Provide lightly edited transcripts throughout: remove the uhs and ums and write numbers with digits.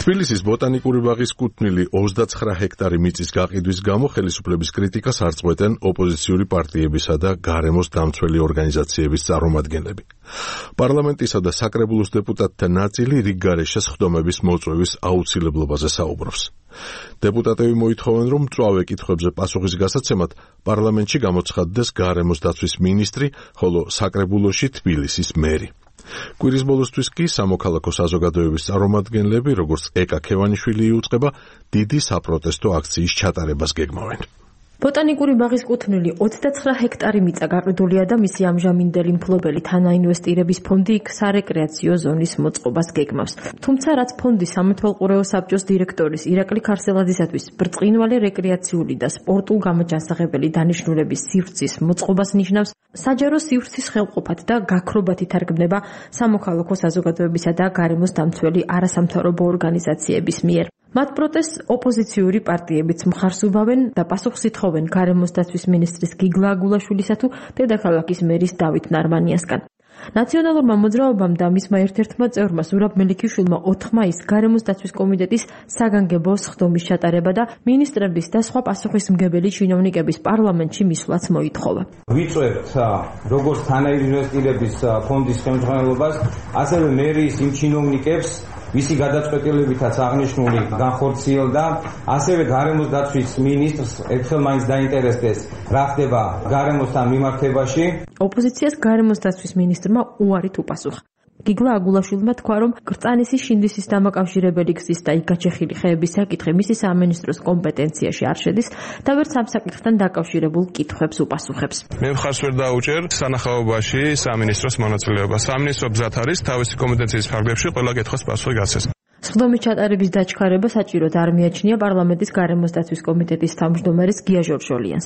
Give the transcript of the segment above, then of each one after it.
თბილისის ბოტანიკური ბაღის კუთვნილი 29 ჰექტარი მიწის გაყიდვის გამო ხელისუფლების κρიტიკას არ წყვეტენ ოპოზიციური პარტიებისა და გარემოს დამცველი ორგანიზაციების წარმომადგენლები. პარლამენტისა და საკრებულოს დეპუტატთა ნაწილი რიგგარეშე სხდომების მოწვევის აუცილებლობაზე საუბრობს. დეპუტატები მოითხოვენ, რომ მწვავე კითხვებზე პასუხის გასაცემად პარლამენტში გამოცხადდეს გარემოს დაცვის მინისტრი, ხოლო საკრებულოში თბილისის მერი. კვირის ბოლოსთვის კი სამოქალაქო საზოგადოების წარმომადგენლები, როგორც ეკა ქევანიშვილი იუწყება, დიდი საპროტესტო აქციის ჩატარებას გეგმავენ. ბოტანიკური ბაღის კუთვნილი 29 ჰექტარი მიწა გაყიდულია და მისი ამჟამინდელი მფლობელი თანაინვესტირების ფონდი იქ სარეკრეაციო ზონის მოწყობას გეგმავს. თუმცა რაც ფონდის სამეთვალყურეო საბჭოს დირექტორის ირაკლი ქარსელაძისათვის ბრწყინვალე რეკრეაციული და სპორტულ გამოჯანსაღებელი დანიშნულების სივრცის მოწყობას ნიშნავს, საჯარო სივრცის ხელყოფად და გაქრობათ ითარგმნება სამოქალაქო საზოგადოებისა და გარემოს დამცველი არასამთავრობო ორგანიზაციების მიერ. მათ პროტესტს ოპოზიციური პარტიებიც მხარს უბავენ და პასუხს ითხოვენ გარემოს დაცვის მინისტრის გიგლა აგულაშვილისა თუ დედაქალაქის მერის დავით ნარმანიასგან. ნაციონალურმა მოძრაობამ და მისმა ერთ-ერთმა წევრმა ზურაბ მელიქიშვილმა 4 მაისს გარემოს დაცვის კომიტეტის საგანგებო სხდომის ჩატარება და მინისტრების და სხვა პასუხისმგებელი ჩინოვნიკების პარლამენტში მისვლაც მოითხოვა. ვიწვევთ როგორც თანაინვესტირების ფონდის ხელმძღვანელობას, ასევე მერიის იმ ჩინოვნიკებს, ვისი გადაწყვეტილებითაც აღნიშნული განხორციელდა, ასევე გარემოს დაცვის მინისტრს ერთხელ მაინც დაინტერესდეს, რა ხდება გარემოსთან მიმართებაში. ოპოზიციას გარემოს დაცვის მინისტრმა უარით უპასუხა. გიგლა აგულაშვილმა თქვა, რომ კრწანისის შინდისის დამაკავშირებელი გზის და იქ გაჩეხილი ხეების საკითხი მისი სამინისტროს კომპეტენციაში არ შედის და ვერც ამ საკითხთან დაკავშირებულ კითხვებს უპასუხებს. მე მხარს ვერ დაუჭერ სანახაობაში სამინისტროს მონაწილეობა. სამინისტრო ბზად არის თავისი კომპეტენციის ფარგლებში ყველა კითხვას პასუხი გაცეს. სხდომის ჩატარების დაჩქარება საჭიროდ არ მიაჩნია პარლამენტის გარემოს დაცვის კომიტეტის თავმჯდომარის გია ჟორჟოლიანს,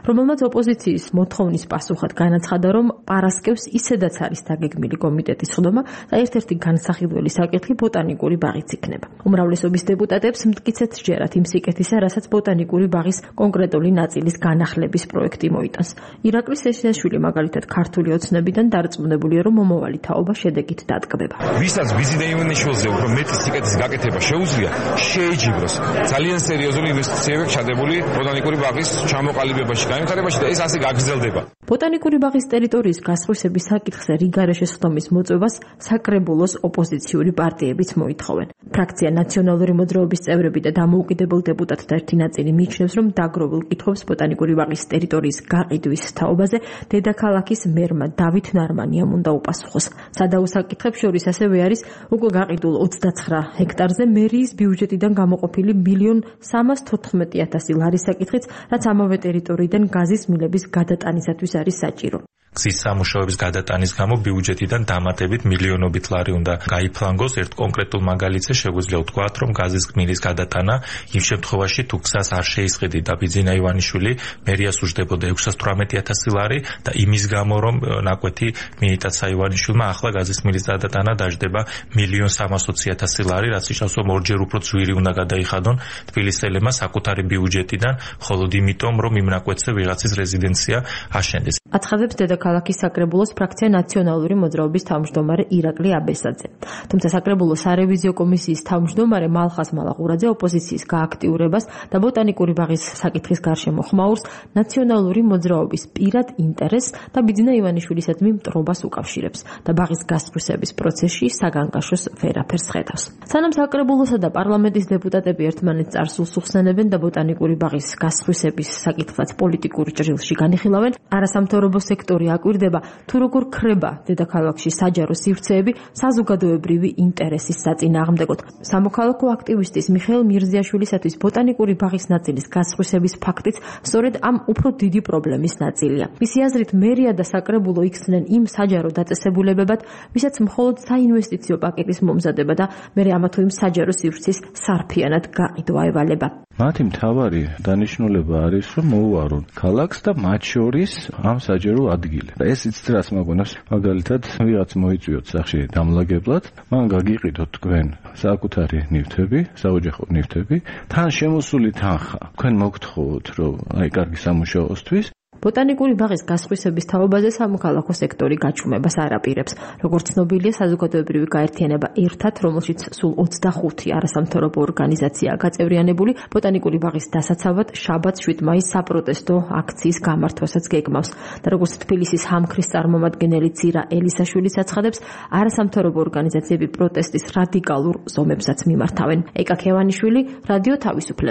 რომელმაც ოპოზიციის მოთხოვნის პასუხად განაცხადა, რომ პარასკევს ისედაც არის დაგეგმილი კომიტეტის სხდომა და ერთ-ერთი განსახილველი საკითხი ბოტანიკური ბაღიც იქნება. უმრავლესობის დეპუტატებს მტკიცედ სჯერათ იმ სიკეთისა, რასაც ბოტანიკური ბაღის კონკრეტული ნაწილის განახლების პროექტი მოიტანს. ირაკლი სესიაშვილი მაგალითად ქართული ოცნებიდან დარწმუნებულია, რომ მომავალი თაობა შედეგით დატკბება. ვისაც ვიზიტა იუნიშვილზე უფრო მეტი სიკეთის გაკეთება შეუძლია, შეეჯიბროს ძალიან სერიოზული ინვესტიციები ჩადებული ბოტანიკური ბაღის ჩამოყალიბებაში, განვითარებაში და ეს ასე გაგრძელდება. ბოტანიკური ბაღის ტერიტორიის გასხვისების საკითხზე რიგგარეშე სხდომის მოწვევას საკრებულოს ოპოზიციური პარტიებიც მოითხოვენ. ფრაქცია ნაციონალური მოძრაობის წევრები და დამოუკიდებელ დეპუტატთა ერთი ნაწილი მიიჩნევს, რომ დაგროვილ კითხვებს ბოტანიკური ბაღის ტერიტორიის გაყიდვის თაობაზე დედაქალაქის მერმა დავით ნარმანიამ უნდა უპასუხოს. სადაო საკითხებს შორის ასევე არის უკვე გაყიდულ 29 ჰექტარზე მერიის ბიუჯეტიდან გამოყოფილი 1.314.000 ლარის საკითხიც, რაც ამავე ტერიტორიიდან გაზის მილების გადატანისათვის არის საჭირო. გზის სამუშაოების გადატანის გამო ბიუჯეტიდან დამატებით მილიონობით ლარი უნდა გაიფლანგოს. ერთ კონკრეტულ მაგალითზე შეგვიძლია ვთქვათ, რომ გაზის გმირის გადატანა იმ შემთხვევაში თუ გზას არ შეისყიდით და ბიძინა ივანიშვილი მერიას უჯდებოდა 618,000 ლარი და იმის გამო რომ ნაკვეთი მიიტაცა ივანიშვილმა, ახლა გაზის გმირის გადატანა დაждდება 1,320,000 ლარი, რაც ნიშნავს, რომ ორჯერ უფრო ძვირი უნდა გადაიხადონ თბილისელებმა საკუთარი ბიუჯეტიდან, მხოლოდ იმიტომ, რომ იმ ნაკვეთზე ვიღაცის რეზიდენცია აშენდეს. აცხადებს დედაქალაქის საკრებულოს ფრაქცია ნაციონალური მოძრაობის თავმჯდომარე ირაკლი აბესაძე. თუმცა საკრებულოს სარევიზიო კომისიის თავმჯდომარე მალხაზ მალაღურაძე ოპოზიციის გააქტიურებას და ბოტანიკური ბაღის საკითხის გარშემო ხმაურს ნაციონალური მოძრაობის პირად ინტერესს და ბიძინა ივანიშვილისადმი მტრობას უკავშირებს და ბაღის გასწრუსების პროცესში საგანგაშოს ვერაფერს ხედავს. სანამ საკრებულოსა და პარლამენტის დეპუტატები ერთმანეთს წარსულს უხსენებენ და ბოტანიკური ბაღის გასწრუსების საკითხსაც პოლიტიკურ ჭრილში განიხილავენ, არასამთავრობო სექტორი აკვირდება თუ როგორ ქრება დედაქალაქში საჯარო სივრცეები საზოგადოებრივი ინტერესის საწინააღმდეგოდ. სამოქალაქო აქტივისტის მიხეილ მირზიაშვილისათვის ბოტანიკური ბაღის ნაწილის გასწრუსების ფაქტიც სწორედ ამ უფრო დიდი პრობლემის ნაწილია. მისი აზრით, მერია და საკრებულო იქცნენ იმ საჯარო დაწესებულებებად, ვისაც მხოლოდ საინვესტიციო პაკეტის მომზადება და მერე ამა თუ იმ საჯარო სივრცის სარფიანად გაყიდვა ევალება. მათი მთავარი დანიშნულება არის, რომ მოუარონ ქალაქს და მათ შორის ამ საჯარო ადგილი. ეს იცით რას მაგვენებს, მაგალითად, ვიღაც მოიწვიოთ სახში დამლაგებლად, მან გაგიყიდოთ თქვენ საკუთარი ნივთები, საოჯახო ნივთები, თან შემოსული თანხა. თქვენ მოგთხოვოთ, რომ აი კარგი სამუშაოსთვის ბოტანიკური ბაღის გასხვისების თაობაზე სამოქალაქო სექტორი გაჩუმებას არ აპირებს. Როგორც ცნობილია, საზოგადოებრივი გაერთიანება ერთად, რომელშიც სულ 25 არასამთავრობო ორგანიზაციაა გაწევრიანებული, ბოტანიკური ბაღის დასაცავად შაბათს 7 მაისს საპროტესტო აქციის გამართვასაც გეგმავს. და როგორც თბილისის ჰამქრის წარმომადგენელი ცირა ელისაშვილიც აცხადებს, არასამთავრობო ორგანიზაციები პროტესტის რადიკალურ ზომებსაც მიმართავენ. ეკა ქევანიშვილი, რადიო თავისუფლება.